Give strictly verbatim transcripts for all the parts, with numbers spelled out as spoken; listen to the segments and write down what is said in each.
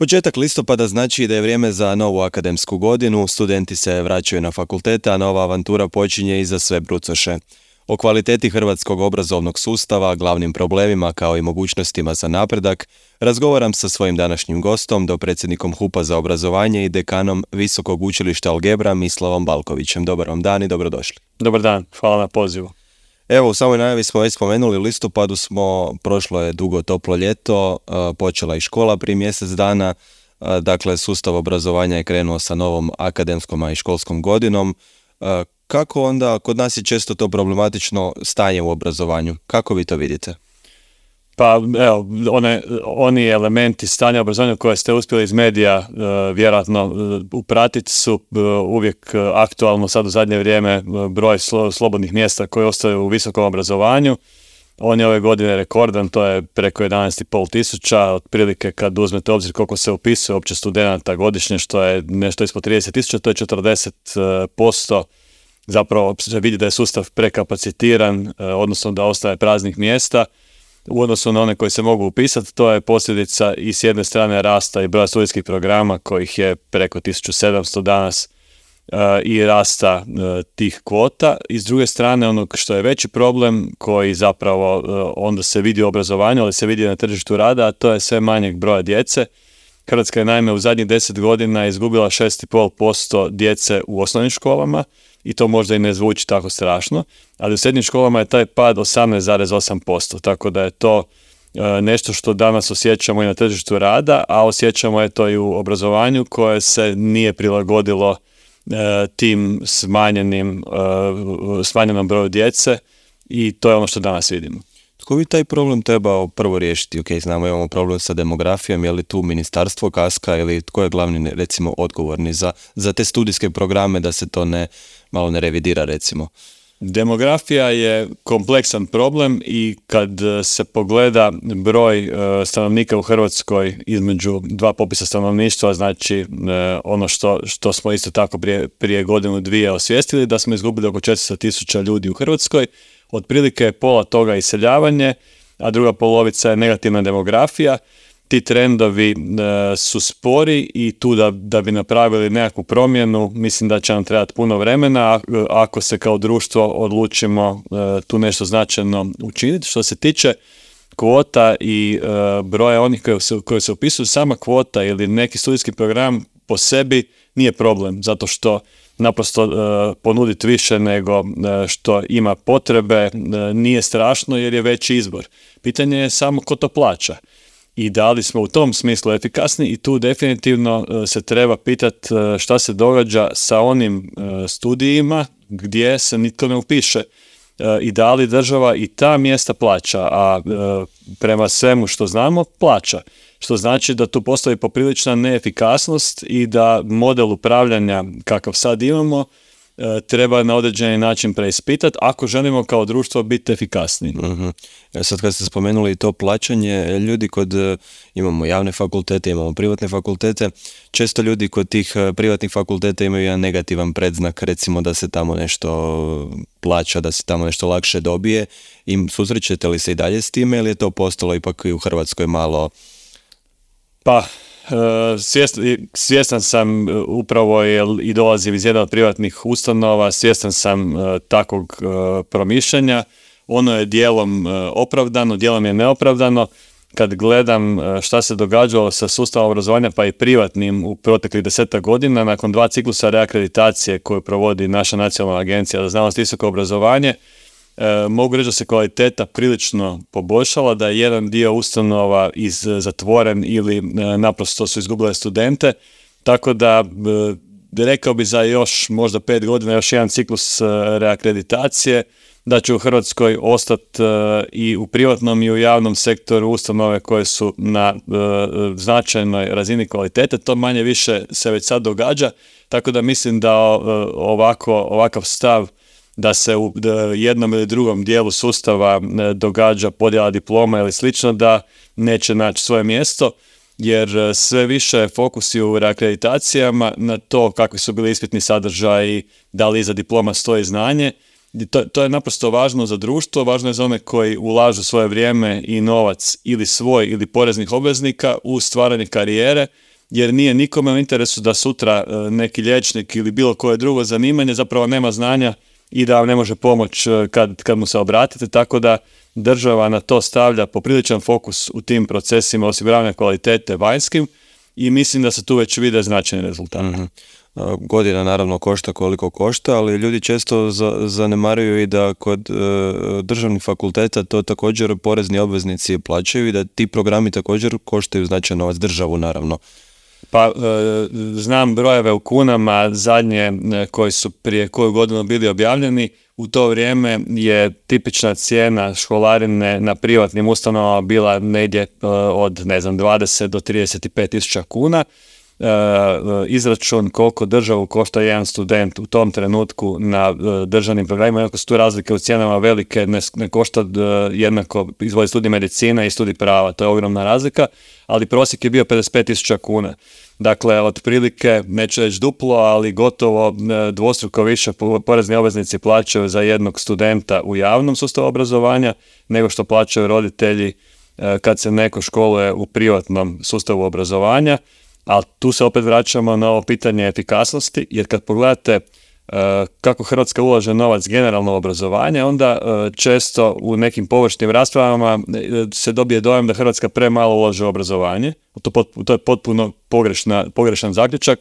Početak listopada znači da je vrijeme za novu akademsku godinu, studenti se vraćaju na fakultete, a nova avantura počinje i za sve brucoše. O kvaliteti hrvatskog obrazovnog sustava, glavnim problemima kao i mogućnostima za napredak, razgovaram sa svojim današnjim gostom, dopredsjednikom HUP-a za obrazovanje i dekanom Visokog učilišta Algebra Mislavom Balkovićem. Dobar vam dan i dobrodošli. Dobar dan, hvala na pozivu. Evo, u samoj najavi smo već spomenuli, u listopadu smo, prošlo je dugo toplo ljeto, počela i škola prije mjesec dana, dakle sustav obrazovanja je krenuo sa novom akademskom, a i školskom godinom. Kako onda, kod nas je često to problematično stanje u obrazovanju, kako vi to vidite? Pa evo, one, oni elementi stanja obrazovanja koje ste uspjeli iz medija uh, vjerojatno uh, upratiti su uh, uvijek uh, aktualno sad u zadnje vrijeme uh, broj slo, slobodnih mjesta koji ostaju u visokom obrazovanju. On je ove godine rekordan, to je preko jedanaest i pol tisuća, otprilike kad uzmete obzir koliko se upisuje uopće studenata godišnje, što je nešto ispod trideset tisuća, to je četrdeset posto. Zapravo se vidi da je sustav prekapacitiran, uh, odnosno da ostaje praznih mjesta. U odnosu na one koji se mogu upisati, to je posljedica i s jedne strane rasta i broja studijskih programa kojih je preko tisuću sedamsto danas uh, i rasta uh, tih kvota. I s druge strane onog što je veći problem koji zapravo uh, onda se vidi u obrazovanju, ali se vidi na tržištu rada, a to je sve manjeg broja djece. Hrvatska je naime u zadnjih deset godina izgubila šest i pol posto djece u osnovnim školama i to možda i ne zvuči tako strašno, ali u srednjim školama je taj pad osamnaest zarez osam posto, tako da je to e, nešto što danas osjećamo i na tržištu rada, a osjećamo je to i u obrazovanju koje se nije prilagodilo e, tim smanjenim, e, smanjenom broju djece i to je ono što danas vidimo. Tko bi taj problem trebao prvo riješiti? Ok, znamo imamo problem sa demografijom, je li tu ministarstvo kaska ili tko je glavni, recimo, odgovorni za, za te studijske programe da se to ne, malo ne revidira, recimo? Demografija je kompleksan problem i kad se pogleda broj uh, stanovnika u Hrvatskoj između dva popisa stanovništva, znači uh, ono što, što smo isto tako prije, prije godinu dvije osvijestili, da smo izgubili oko četiristo tisuća ljudi u Hrvatskoj, otprilike je pola toga iseljavanje, a druga polovica je negativna demografija. Ti trendovi e, su spori i tu da, da bi napravili nekakvu promjenu, mislim da će nam trebati puno vremena ako se kao društvo odlučimo e, tu nešto značajno učiniti. Što se tiče kvota i e, broja onih koji se, koji se upisuju, sama kvota ili neki studijski program po sebi nije problem, zato što naprosto uh, ponuditi više nego uh, što ima potrebe uh, nije strašno jer je veći izbor. Pitanje je samo ko to plaća i da li smo u tom smislu efikasni i tu definitivno uh, se treba pitati uh, šta se događa sa onim uh, studijima gdje se nitko ne upiše uh, i da li država i ta mjesta plaća, a uh, prema svemu što znamo plaća. Što znači da tu postoji poprilična neefikasnost i da model upravljanja kakav sad imamo e, treba na određeni način preispitati ako želimo kao društvo biti efikasniji. Uh-huh. Sad kad ste spomenuli to plaćanje, ljudi kod, imamo javne fakultete, imamo privatne fakultete, često ljudi kod tih privatnih fakulteta imaju jedan negativan predznak, recimo da se tamo nešto plaća, da se tamo nešto lakše dobije. I susrećete li se i dalje s time ili je to postalo ipak i u Hrvatskoj malo... Pa, svjestan, svjestan sam upravo jer i dolazim iz jedne od privatnih ustanova, svjestan sam takvog promišljanja. Ono je dijelom opravdano, dijelom je neopravdano. Kad gledam šta se događalo sa sustavom obrazovanja pa i privatnim u proteklih desetak godina, nakon dva ciklusa reakreditacije koju provodi naša Nacionalna agencija za znanost i visoko obrazovanje, E, mogu reći da se kvaliteta prilično poboljšala, da je jedan dio ustanova iz zatvoren ili e, naprosto su izgubile studente, tako da e, rekao bi za još možda pet godina još jedan ciklus e, reakreditacije, da će u Hrvatskoj ostati e, i u privatnom i u javnom sektoru ustanove koje su na e, značajnoj razini kvalitete. To manje više se već sad događa, tako da mislim da e, ovako, ovakav stav da se u jednom ili drugom dijelu sustava događa podjela diploma ili slično, da neće naći svoje mjesto, jer sve više fokusi u reakreditacijama na to kakvi su bili ispitni sadržaji, da li iza diploma stoji znanje. To, to je naprosto važno za društvo, važno je za one koji ulažu svoje vrijeme i novac ili svoj ili poreznih obveznika u stvaranje karijere, jer nije nikome u interesu da sutra neki liječnik ili bilo koje drugo zanimanje zapravo nema znanja i da vam ne može pomoći kad, kad mu se obratite, tako da država na to stavlja popriličan fokus u tim procesima osiguravanja kvalitete vanjskim i mislim da se tu već vide značajni rezultati. Mm-hmm. Godina naravno košta koliko košta, ali ljudi često za, zanemaruju i da kod e, državnih fakulteta to također porezni obveznici plaćaju i da ti programi također koštaju značajan novac, državu naravno. Pa e, znam brojeve u kunama zadnje e, koji su prije koju godinu bili objavljeni. U to vrijeme je tipična cijena školarine na privatnim ustanovama bila negdje e, od ne znam dvadeset do trideset pet tisuća kuna. E, izračun koliko državu košta jedan student u tom trenutku na e, državnim programima, iako su tu razlike u cijenama velike, ne, ne košta e, jednako izvodi studij medicina i studij prava, to je ogromna razlika, ali prosjek je bio pedeset pet tisuća kuna. Dakle, otprilike, neću reći duplo, ali gotovo dvostruko više porezni obveznici plaćaju za jednog studenta u javnom sustavu obrazovanja nego što plaćaju roditelji kad se neko školuje u privatnom sustavu obrazovanja. Ali tu se opet vraćamo na ovo pitanje efikasnosti, jer kad pogledate kako Hrvatska ulaže novac generalno u obrazovanje, onda često u nekim površnim raspravama se dobije dojam da Hrvatska premalo ulaže u obrazovanje. To, to je potpuno pogrešna, pogrešan zaključak.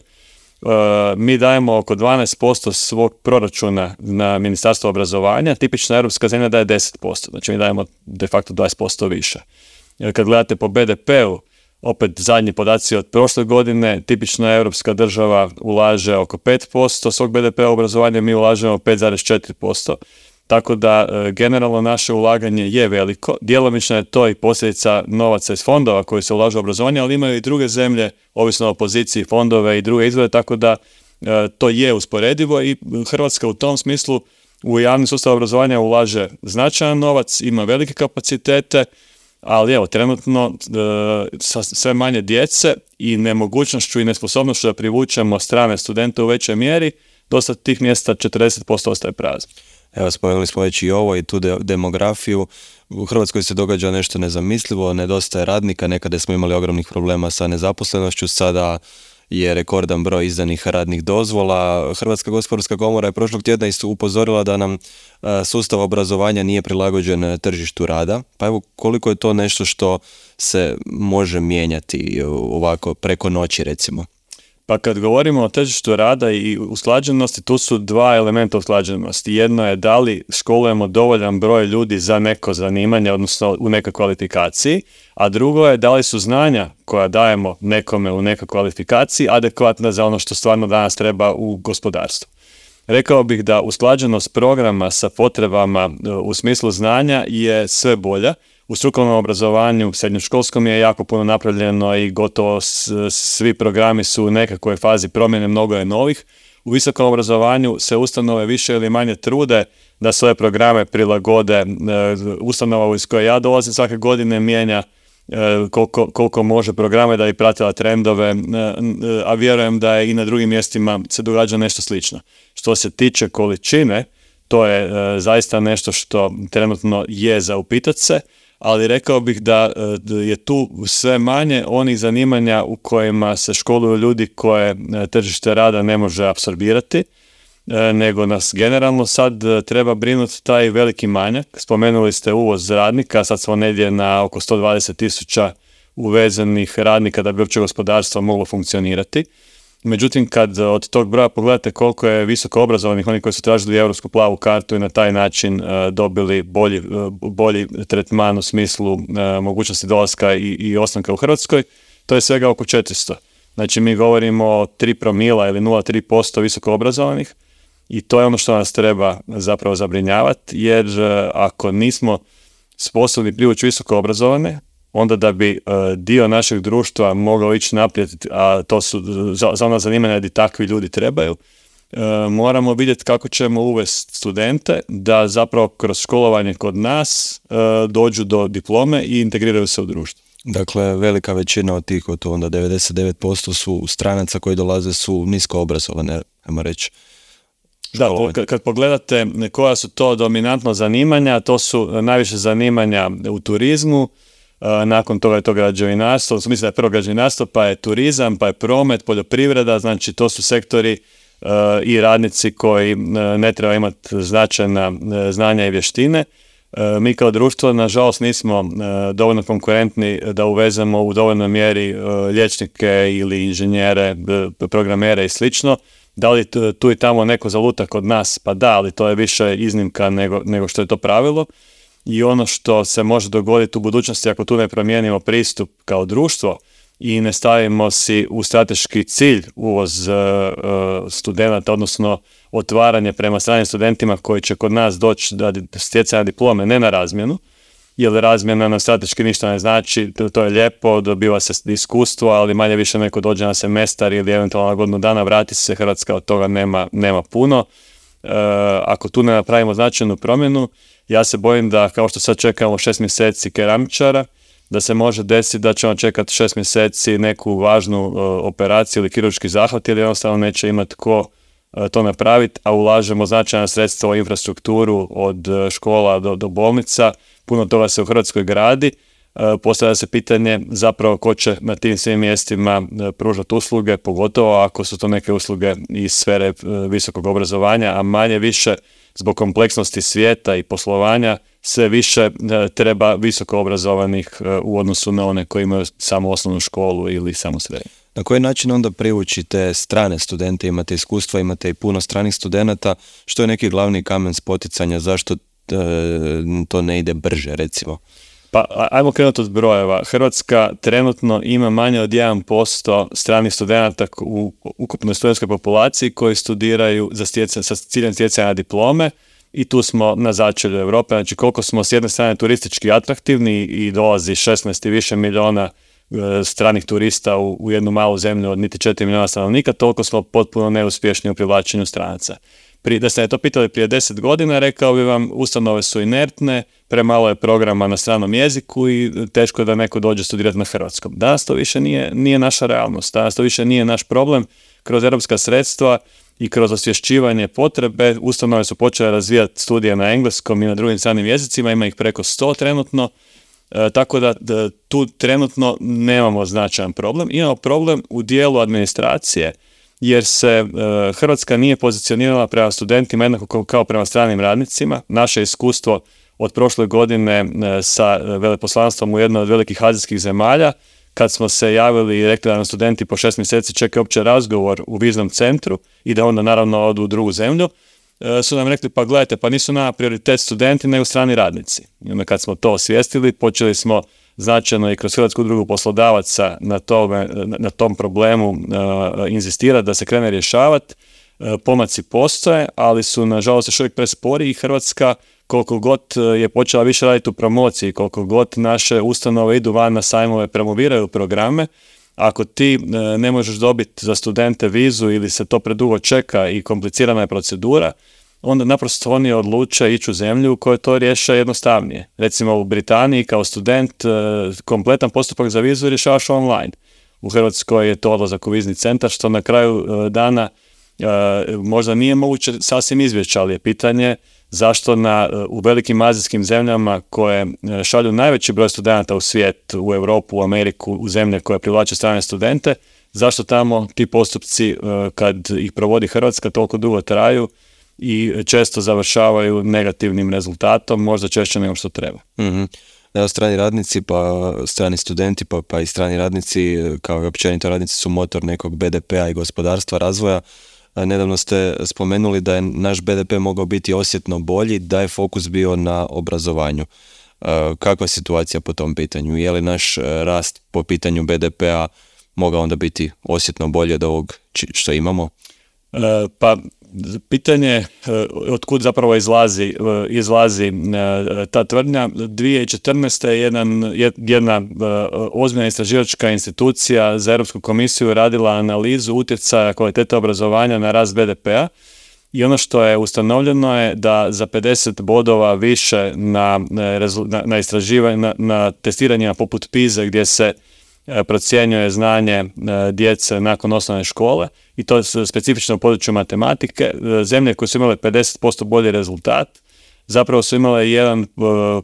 Mi dajemo oko dvanaest posto svog proračuna na Ministarstvo obrazovanja, tipična europska zemlja daje deset posto, znači mi dajemo de facto dvadeset posto više. Jer kad gledate po be de pe-u, opet zadnji podaci od prošle godine, tipična europska država ulaže oko pet posto svog be de pe-a u obrazovanje, mi ulažemo pet zarez četiri posto. Tako da e, generalno naše ulaganje je veliko. Djelomično je to i posljedica novaca iz fondova koji se ulažu u obrazovanje, ali imaju i druge zemlje, ovisno o poziciji fondove i druge izvore, tako da e, to je usporedivo i Hrvatska u tom smislu u javni sustav obrazovanja ulaže značajan novac, ima velike kapacitete, ali evo, trenutno e, sa sve manje djece i nemogućnošću i nesposobnošću da privučemo strane studente u većoj mjeri, dosta tih mjesta četrdeset posto ostaje prazno. Evo, spomenuli smo već i ovo i tu de- demografiju. U Hrvatskoj se događa nešto nezamislivo, nedostaje radnika, nekada smo imali ogromnih problema sa nezaposlenošću, sada je rekordan broj izdanih radnih dozvola. Hrvatska gospodarska komora je prošlog tjedna isto upozorila da nam sustav obrazovanja nije prilagođen tržištu rada. Pa evo, koliko je to nešto što se može mijenjati ovako preko noći recimo? Pa kad govorimo o tržištu rada i usklađenosti, tu su dva elementa usklađenosti. Jedno je da li školujemo dovoljan broj ljudi za neko zanimanje, odnosno u nekoj kvalifikaciji, a drugo je da li su znanja koja dajemo nekome u nekoj kvalifikaciji adekvatna za ono što stvarno danas treba u gospodarstvu. Rekao bih da usklađenost programa sa potrebama u smislu znanja je sve bolja. U strukovnom obrazovanju, srednjoškolskom je jako puno napravljeno i gotovo svi programi su u nekakvoj fazi promjene, mnogo je novih. U visokom obrazovanju se ustanove više ili manje trude da svoje programe prilagode. Ustanova iz koje ja dolazim svake godine mijenja koliko, koliko može programe da bi pratila trendove, a vjerujem da je i na drugim mjestima se događa nešto slično. Što se tiče količine, to je zaista nešto što trenutno je za upitat se, ali rekao bih da je tu sve manje onih zanimanja u kojima se školuju ljudi koje tržište rada ne može apsorbirati, nego nas generalno sad treba brinuti taj veliki manjak. Spomenuli ste uvoz radnika, sad smo negdje na oko sto dvadeset tisuća uvezenih radnika da bi uopće gospodarstvo moglo funkcionirati. Međutim, kad od tog broja pogledate koliko je visoko obrazovanih, oni koji su tražili europsku plavu kartu i na taj način uh, dobili bolji, uh, bolji tretman u smislu uh, mogućnosti dolaska i, i ostanka u Hrvatskoj, to je svega oko četiristo. Znači, mi govorimo o tri promila ili nula zarez tri posto visoko obrazovanih i to je ono što nas treba zapravo zabrinjavati, jer uh, ako nismo sposobni privući visoko obrazovane, onda da bi uh, dio našeg društva mogao ići naprijed, a to su za, za ona zanimanja gdje takvi ljudi trebaju, uh, moramo vidjeti kako ćemo uvesti studente da zapravo kroz školovanje kod nas uh, dođu do diplome i integriraju se u društvo. Dakle, velika većina od tih, to onda devedeset devet posto su stranaca koji dolaze su nisko obrazovane, ajmo reći. Da, po, kad pogledate koja su to dominantno zanimanja, to su najviše zanimanja u turizmu, nakon toga je to građevinarstvo, mislim da je prvo građevinarstvo, pa je turizam, pa je promet, poljoprivreda, znači to su sektori i radnici koji ne treba imati značajna znanja i vještine. Mi kao društvo, nažalost, nismo dovoljno konkurentni da uvezemo u dovoljnoj mjeri liječnike ili inženjere, programere i slično. Da li tu i tamo neko zaluta kod nas? Pa da, ali to je više iznimka nego, nego što je to pravilo. I ono što se može dogoditi u budućnosti ako tu ne promijenimo pristup kao društvo i ne stavimo si u strateški cilj uvoz uh, studenata, odnosno otvaranje prema stranim studentima koji će kod nas doći da stjecanja diplome, ne na razmjenu, jer razmjena nam strateški ništa ne znači, to, to je lijepo, dobiva se iskustvo, ali manje više neko dođe na semestar ili eventualno na godinu dana, vrati se, Hrvatska od toga nema, nema puno. Uh, ako tu ne napravimo značajnu promjenu, ja se bojim da kao što sad čekamo šest mjeseci keramičara, da se može desiti da ćemo čekati šest mjeseci neku važnu uh, operaciju ili kirurški zahvat ili jednostavno neće imati ko uh, to napraviti, a ulažemo značajna sredstva u infrastrukturu od uh, škola do, do bolnica, puno toga se u Hrvatskoj gradi, uh, postavlja se pitanje zapravo ko će na tim svim mjestima uh, pružati usluge, pogotovo ako su to neke usluge iz sfere uh, visokog obrazovanja, a manje više zbog kompleksnosti svijeta i poslovanja sve više treba visoko obrazovanih u odnosu na one koji imaju samo osnovnu školu ili samo srednju. Na koji način onda privučite strane studente, imate iskustva, imate i puno stranih studenata, što je neki glavni kamen spoticanja, zašto e, to ne ide brže recimo? Pa ajmo krenuti od brojeva. Hrvatska trenutno ima manje od jedan posto stranih studenata u ukupnoj studentskoj populaciji koji studiraju za stjecanje, sa ciljem stjecanja diplome i tu smo na začelju Europe. Znači koliko smo s jedne strane turistički atraktivni i dolazi šesnaest i više milijuna stranih turista u, u jednu malu zemlju od niti četiri milijuna stanovnika, toliko smo potpuno neuspješni u privlačenju stranaca. Pri, da ste to pitali prije deset godina, rekao bi vam, ustanove su inertne, premalo je programa na stranom jeziku i teško je da neko dođe studirati na hrvatskom. Danas to više nije, nije naša realnost, danas to više nije naš problem. Kroz europska sredstva i kroz osvješćivanje potrebe, ustanove su počele razvijati studije na engleskom i na drugim stranim jezicima, ima ih preko sto trenutno, e, tako da, da tu trenutno nemamo značajan problem. Imamo problem u dijelu administracije, jer se e, Hrvatska nije pozicionirala prema studentima jednako kao prema stranim radnicima. Naše iskustvo od prošle godine e, sa veleposlanstvom u jednoj od velikih azijskih zemalja, kad smo se javili i rekli da nam studenti po šest mjeseci čekaju opće razgovor u viznom centru i da onda naravno odu u drugu zemlju, e, su nam rekli pa gledajte, pa nisu nama prioritet studenti nego strani radnici. I onda kad smo to osvijestili, počeli smo značajno i kroz Hrvatsku udrugu poslodavaca na, tome, na tom problemu uh, inzistirati da se krene rješavati. Uh, pomaci postoje, ali su nažalost još uvijek prespori i Hrvatska koliko god je počela više raditi u promociji, koliko god naše ustanove idu van na sajmove, promoviraju programe, ako ti uh, ne možeš dobiti za studente vizu ili se to predugo čeka i komplicirana je procedura, onda naprosto oni odluče ići u zemlju u kojoj to riješe jednostavnije. Recimo u Britaniji kao student kompletan postupak za vizu rješavaš online. U Hrvatskoj je to odlazak u vizni centar, što na kraju dana možda nije moguće sasvim izbjeći, ali je pitanje zašto na, u velikim azijskim zemljama koje šalju najveći broj studenata u svijet, u Europu, u Ameriku, u zemlje koje privlače strane studente, zašto tamo ti postupci kad ih provodi Hrvatska toliko dugo traju i često završavaju negativnim rezultatom, možda češće nego što treba. Mm-hmm. Evo, strani radnici, pa strani studenti, pa, pa i strani radnici, kao i općenito radnici su motor nekog be de pea i gospodarstva, razvoja. Nedavno ste spomenuli da je naš be de pe mogao biti osjetno bolji, da je fokus bio na obrazovanju. Kakva je situacija po tom pitanju? Je li naš rast po pitanju be de pea mogao onda biti osjetno bolje od ovog što imamo? E, pa pitanje od kud zapravo izlazi, izlazi ta tvrdnja. dvije tisuće četrnaeste. je jedan, jedna ozbiljna istraživačka institucija za Europsku komisiju radila analizu utjecaja kvalitete obrazovanja na rast be de pea i ono što je ustanovljeno je da za pedeset bodova više na, na, na istraživanje, na, na testiranjima poput pize gdje se procjenjuje znanje djece nakon osnovne škole i to je specifično u području matematike. Zemlje koje su imale pedeset posto bolji rezultat zapravo su imale jedan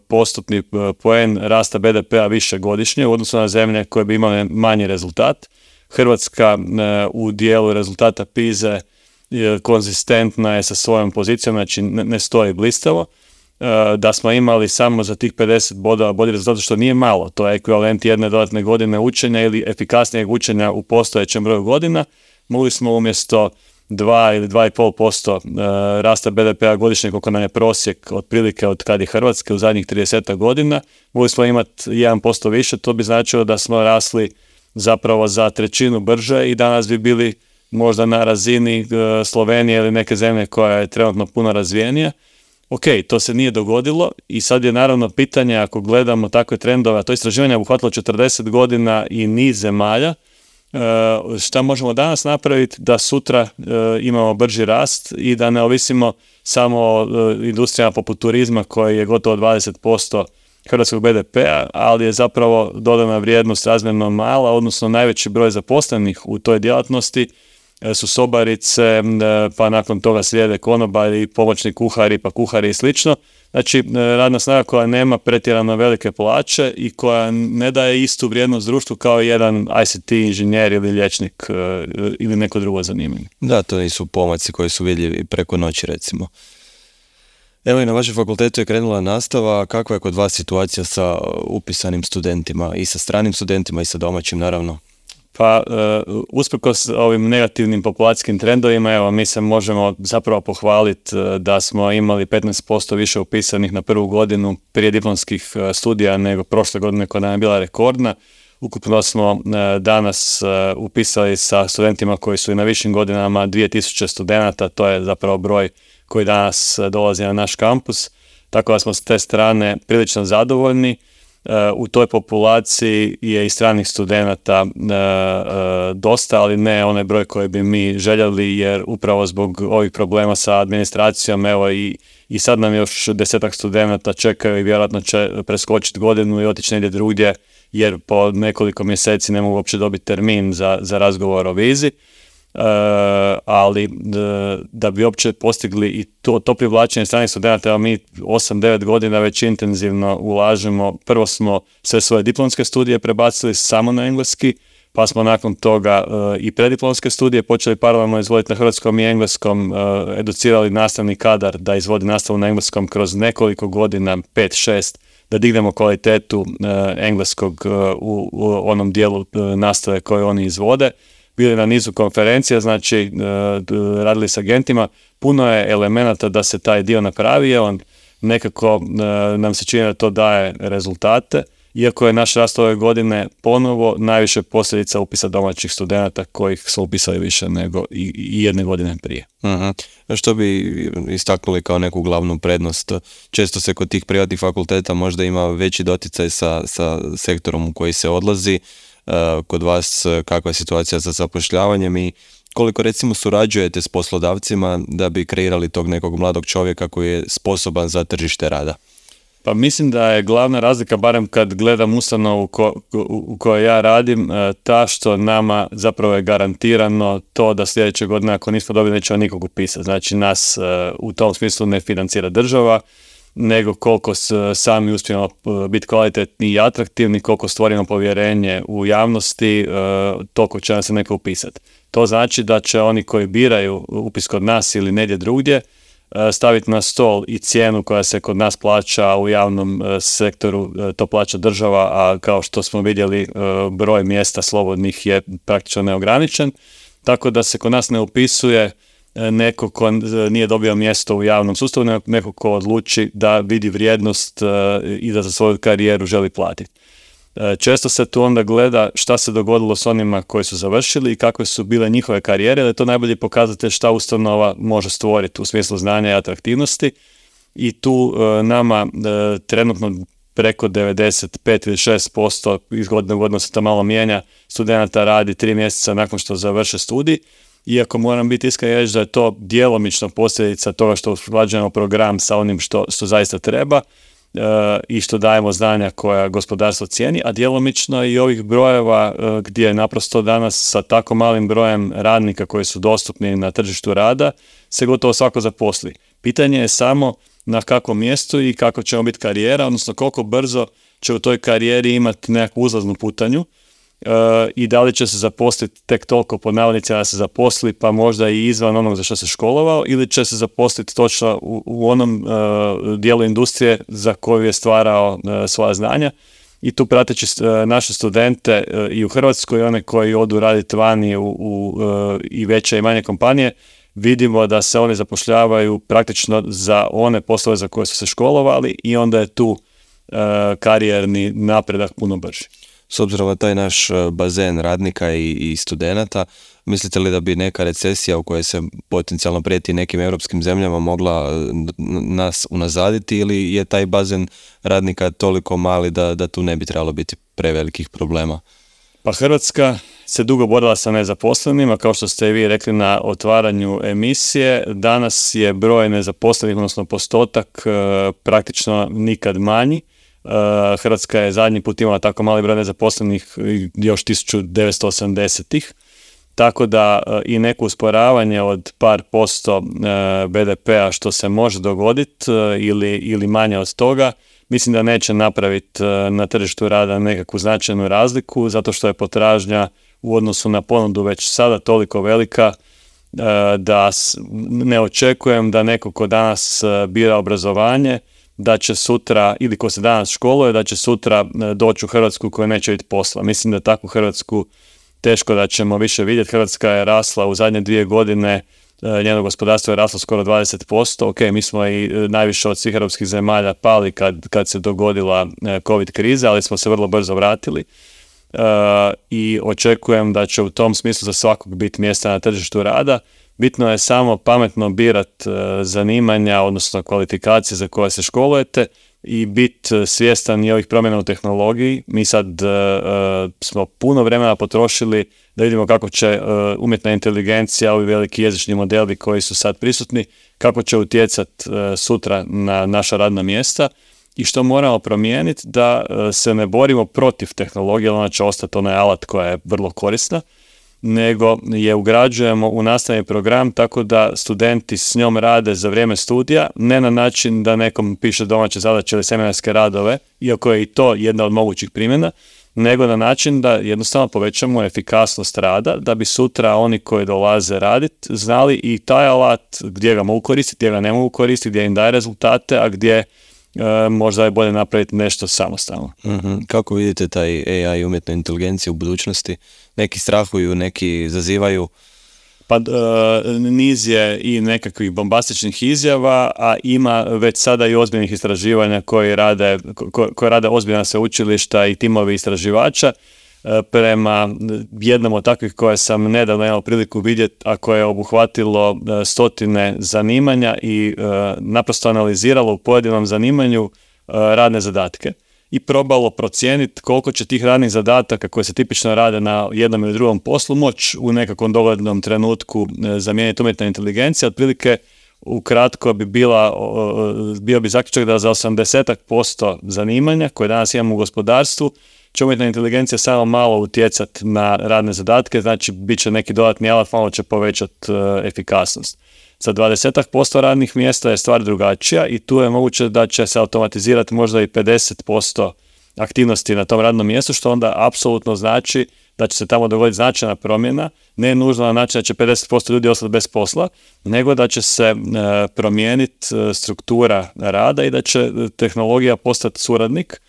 postotni poen rasta be de pea više godišnje u odnosu na zemlje koje bi imale manji rezultat. Hrvatska u dijelu rezultata PISA konzistentna je sa svojom pozicijom, znači ne stoji blistavo. Da smo imali samo za tih pedeset bodova bolji rezultat, što nije malo, to je ekvivalent jedne dodatne godine učenja ili efikasnijeg učenja u postojećem broju godina, mogli smo umjesto dva ili dva i pol posto rasta be de pea godišnje, koliko nam je prosjek otprilike od kad je Hrvatske u zadnjih trideset godina, mogli smo imati jedan posto više, to bi značilo da smo rasli zapravo za trećinu brže i danas bi bili možda na razini Slovenije ili neke zemlje koja je trenutno puno razvijenija. Ok, to se nije dogodilo i sad je naravno pitanje, ako gledamo takve trendove, a to istraživanje je obuhvatilo četrdeset godina i niz zemalja, šta možemo danas napraviti da sutra imamo brži rast i da ne ovisimo samo o industrijama poput turizma koji je gotovo dvadeset posto hrvatskog be de pea, ali je zapravo dodana vrijednost razmjerno mala, odnosno najveći broj zaposlenih u toj djelatnosti su sobarice, pa nakon toga slijede konobari, pomoćni kuhari, pa kuhari i slično. Znači, radna snaga koja nema pretjerano velike plaće i koja ne daje istu vrijednost društvu kao jedan I C T inženjer ili liječnik ili neko drugo zanimanje. Da, to nisu pomaci koji su vidljivi preko noći, recimo. Evo i na vašem fakultetu je krenula nastava. Kakva je kod vas situacija sa upisanim studentima i sa stranim studentima i sa domaćim, naravno? Pa, uh, usprkos ovim negativnim populacijskim trendovima, evo, mi se možemo zapravo pohvaliti uh, da smo imali petnaest posto više upisanih na prvu godinu prije diplomskih uh, studija nego prošle godine koja nam je bila rekordna. Ukupno smo uh, danas uh, upisali sa studentima koji su i na višim godinama dvije tisuće studenata, to je zapravo broj koji danas uh, dolazi na naš kampus, tako da smo s te strane prilično zadovoljni. U toj populaciji je i stranih studenata e, e, dosta, ali ne onaj broj koji bi mi željeli, jer upravo zbog ovih problema sa administracijom, evo i, i sad nam još desetak studenata čekaju i vjerojatno će preskočiti godinu i otići negdje drugdje, jer po nekoliko mjeseci ne mogu uopće dobiti termin za, za razgovor o vizi. Uh, ali da, da bi uopće postigli i to, to privlačenje stranih studenata, evo mi osam devet godina već intenzivno ulažemo. Prvo smo sve svoje diplomske studije prebacili samo na engleski, pa smo nakon toga uh, i prediplomske studije počeli paralelno izvoditi na hrvatskom i engleskom, uh, educirali nastavni kadar da izvodi nastavu na engleskom kroz nekoliko godina, pet šest, da dignemo kvalitetu uh, engleskog uh, u, u onom dijelu uh, nastave koje oni izvode. Bili na nizu konferencija, znači radili s agentima, puno je elemenata da se taj dio napravi, on nekako nam se čini da to daje rezultate, iako je naš rast ove godine ponovo najviše posljedica upisa domaćih studenata kojih su upisali više nego i, i jedne godine prije. Uh-huh. Što bi istaknuli kao neku glavnu prednost? Često se kod tih privatnih fakulteta možda ima veći doticaj sa, sa sektorom u koji se odlazi. Kod vas kakva je situacija sa zapošljavanjem i koliko recimo surađujete s poslodavcima da bi kreirali tog nekog mladog čovjeka koji je sposoban za tržište rada? Pa mislim da je glavna razlika, barem kad gledam ustanovu ko, u kojoj ja radim, ta što nama zapravo je garantirano to da sljedeće godine ako nismo dobili nećemo nikog upisati. Znači nas u tom smislu ne financira država, nego koliko sami uspijemo biti kvalitetni i atraktivni, koliko stvorimo povjerenje u javnosti, toliko će nam se neko upisati. To znači da će oni koji biraju upis kod nas ili negdje drugdje staviti na stol i cijenu koja se kod nas plaća u javnom sektoru, to plaća država, a kao što smo vidjeli broj mjesta slobodnih je praktično neograničen, tako da se kod nas ne upisuje neko ko nije dobio mjesto u javnom sustavu, neko ko odluči da vidi vrijednost i da za svoju karijeru želi platiti. Često se tu onda gleda šta se dogodilo s onima koji su završili i kakve su bile njihove karijere, da je to najbolji pokazatelj šta ustanova može stvoriti u smislu znanja i atraktivnosti. I tu nama trenutno preko devedeset pet ili šest posto iz godine u godinu se to malo mijenja, studenata radi tri mjeseca nakon što završe studij. Iako moram biti iskren i reći da je to djelomično posljedica toga što usklađujemo program sa onim što, što zaista treba e, i što dajemo znanja koja gospodarstvo cijeni, a djelomično i ovih brojeva e, gdje naprosto danas sa tako malim brojem radnika koji su dostupni na tržištu rada se gotovo svako zaposli. Pitanje je samo na kakvom mjestu i kako će biti karijera, odnosno koliko brzo će u toj karijeri imati nekakvu uzlaznu putanju uh, i da li će se zaposliti tek toliko pod navodnicima da se zaposli pa možda i izvan onog za što se školovao ili će se zaposliti točno u, u onom uh, dijelu industrije za koju je stvarao uh, svoja znanja. I tu prateći uh, naše studente uh, i u Hrvatskoj i one koji odu raditi vani u, u uh, i veće i manje kompanije, vidimo da se oni zapošljavaju praktično za one poslove za koje su se školovali i onda je tu uh, karijerni napredak puno brži. S obzirom na taj naš bazen radnika i, i studenata, mislite li da bi neka recesija u kojoj se potencijalno prijeti nekim europskim zemljama mogla nas unazaditi ili je taj bazen radnika toliko mali da, da tu ne bi trebalo biti prevelikih problema? Pa Hrvatska se dugo borila sa nezaposlenima, kao što ste i vi rekli na otvaranju emisije. Danas je broj nezaposlenih, odnosno postotak, praktično nikad manji. Hrvatska je zadnji put imala tako mali broj nezaposlenih još tisuću devetsto osamdesetih. Tako da i neko usporavanje od par posto be de pea što se može dogoditi ili, ili manje od toga, mislim da neće napraviti na tržištu rada nekakvu značajnu razliku, zato što je potražnja u odnosu na ponudu već sada toliko velika da ne očekujem da neko ko danas bira obrazovanje, da će sutra, ili ko se danas školuje, da će sutra doći u Hrvatsku koja neće biti posla. Mislim da takvu Hrvatsku teško da ćemo više vidjeti. Hrvatska je rasla u zadnje dvije godine, njeno gospodarstvo je raslo skoro dvadeset posto. Ok, mi smo i najviše od svih europskih zemalja pali kad, kad se dogodila COVID kriza, ali smo se vrlo brzo vratili. Uh, i očekujem da će u tom smislu za svakog biti mjesta na tržištu rada. Bitno je samo pametno birat uh, zanimanja, odnosno kvalifikacije za koje se školujete i biti svjestan i ovih promjena u tehnologiji. Mi sad uh, uh, smo puno vremena potrošili da vidimo kako će uh, umjetna inteligencija, ovi veliki jezični modeli koji su sad prisutni, kako će utjecati uh, sutra na naša radna mjesta. I što moramo promijeniti, da se ne borimo protiv tehnologije, ona će ostati onaj alat koja je vrlo korisna, nego je ugrađujemo u nastavni program tako da studenti s njom rade za vrijeme studija, ne na način da nekom piše domaće zadaće ili seminarske radove, iako je i to jedna od mogućih primjena, nego na način da jednostavno povećamo efikasnost rada, da bi sutra oni koji dolaze raditi znali i taj alat gdje ga mogu koristiti, gdje ga ne mogu koristiti, gdje im daje rezultate, a gdje E, možda je bolje napraviti nešto samostalno. Mm-hmm. Kako vidite taj A I i umjetnu inteligenciju u budućnosti? Neki strahuju, neki zazivaju? Pa e, niz je i nekakvih bombastičnih izjava, a ima već sada i ozbiljnih istraživanja koji rade, ko, koje rade ozbiljna sveučilišta i timovi istraživača. E, prema jednom od takvih koje sam nedavno imao priliku vidjeti, a koje je obuhvatilo e, stotine zanimanja i e, naprosto analiziralo u pojedinom zanimanju e, radne zadatke i probalo procijeniti koliko će tih radnih zadataka koje se tipično rade na jednom ili drugom poslu moći u nekakvom doglednom trenutku e, zamijeniti umjetna inteligencija. Otprilike ukratko bi bila, e, bio bi zaključak da za osamdeset posto zanimanja koje danas imamo u gospodarstvu će umjetna inteligencija samo malo utjecati na radne zadatke, znači bit će neki dodatni alat, malo će povećati uh, efikasnost. Za dvadeset posto radnih mjesta je stvar drugačija i tu je moguće da će se automatizirati možda i pedeset posto aktivnosti na tom radnom mjestu, što onda apsolutno znači da će se tamo dogoditi značajna promjena, ne nužno na način da će pedeset posto ljudi ostati bez posla, nego da će se uh, promijeniti uh, struktura rada i da će tehnologija postati suradnik.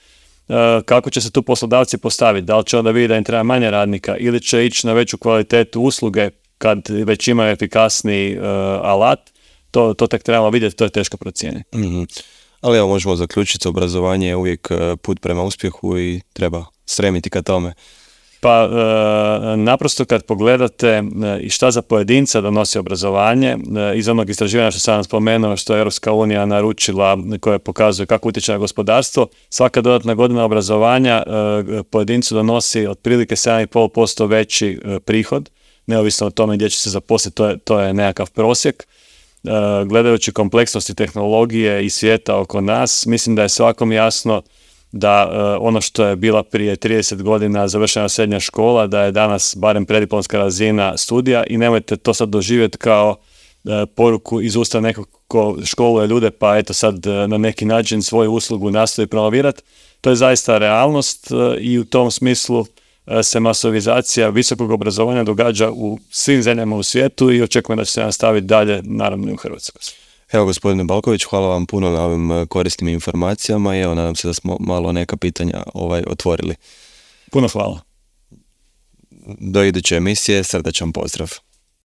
Kako će se tu poslodavci postaviti, da li će onda vidjeti da im treba manje radnika ili će ići na veću kvalitetu usluge kad već imaju efikasni uh, alat, to, to tek trebamo vidjeti, to je teško procijeniti. Mm-hmm. Ali evo možemo zaključiti, obrazovanje je uvijek put prema uspjehu i treba stremiti ka tome. Pa e, naprosto kad pogledate e, i šta za pojedinca donosi obrazovanje, e, iz onog istraživanja što sam vam spomenuo, što je Europska unija naručila, koje pokazuje kako utječe na gospodarstvo, svaka dodatna godina obrazovanja e, pojedincu donosi otprilike sedam zarez pet posto veći e, prihod, neovisno o tome gdje će se zaposliti, to je, to je nekakav prosjek. E, gledajući kompleksnosti tehnologije i svijeta oko nas, mislim da je svakom jasno da uh, ono što je bila prije trideset godina završena srednja škola, da je danas barem prediplomska razina studija i nemojte to sad doživjeti kao poruku iz usta nekog ko školuje ljude, pa eto sad na neki način svoju uslugu nastoji promovirati. To je zaista realnost i u tom smislu se masovizacija visokog obrazovanja događa u svim zemljama u svijetu i očekujem da će se nastaviti dalje, naravno i u Hrvatskoj. Evo, gospodine Balković, hvala vam puno na ovim korisnim informacijama i evo, nadam se da smo malo neka pitanja ovaj, otvorili. Puno hvala. Do iduće emisije, srdačan pozdrav.